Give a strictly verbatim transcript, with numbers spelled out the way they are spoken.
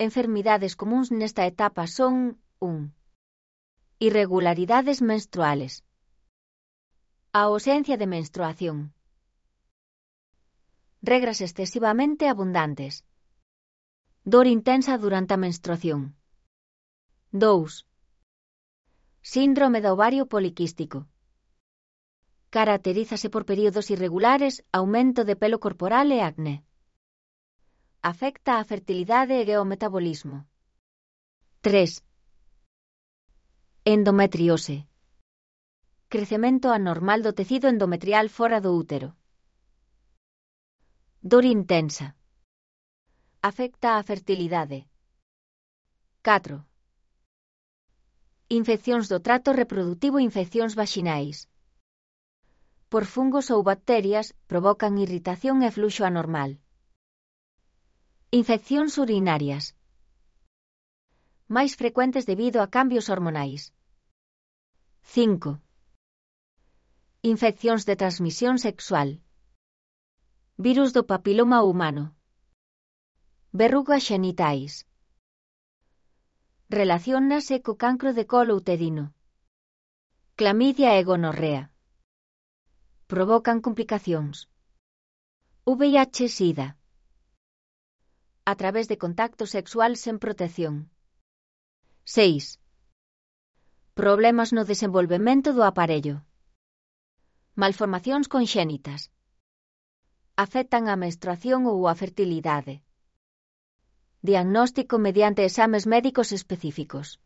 Enfermidades comuns nesta etapa son un Irregularidades menstruales. A ausencia de menstruación. Regras excesivamente abundantes. Dor intensa durante a menstruación. dous Síndrome do ovario poliquístico. Caracterízase por períodos irregulares, aumento de pelo corporal e acné. Afecta a fertilidade e o metabolismo. tres Endometriose. Crecemento anormal do tecido endometrial fora do útero. Dor intensa. Afecta a fertilidade. catro Infeccións do trato reprodutivo e infeccións vaxinais. Por fungos ou bacterias, provocan irritación e fluxo anormal. Infeccións urinarias. Máis frecuentes debido a cambios hormonais. cinco Infeccións de transmisión sexual. Virus do papiloma humano. Verrugas xenitais. Relaciónase co cancro de colo uterino. Clamidia e gonorrea. Provocan complicacións. V I H-Sida. A través de contacto sexual sen protección. seis Problemas no desenvolvemento do aparello. Malformacións conxénitas. Afectan a menstruación ou a fertilidade. Diagnóstico mediante exames médicos específicos.